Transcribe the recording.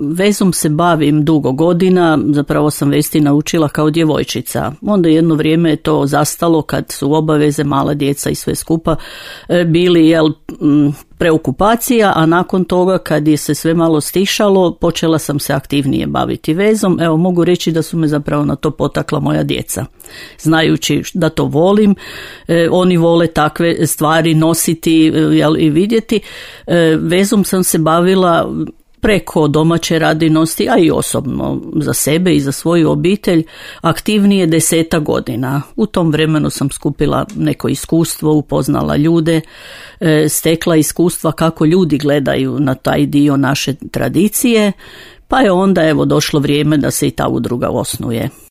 Vezom se bavim dugo godina, zapravo sam vesti naučila kao djevojčica. Onda jedno vrijeme je to zastalo kad su obaveze, mala djeca i sve skupa bili preokupacija, a nakon toga kad je se sve malo stišalo, počela sam se aktivnije baviti vezom. Evo, mogu reći da su me zapravo na to potakla moja djeca. Znajući da to volim, oni vole takve stvari nositi i vidjeti. Vezom sam se bavila preko domaće radinosti, a i osobno za sebe i za svoju obitelj, aktivnije 10 godina. U tom vremenu sam skupila neko iskustvo, upoznala ljude, stekla iskustva kako ljudi gledaju na taj dio naše tradicije, pa je onda došlo vrijeme da se i ta udruga osnuje.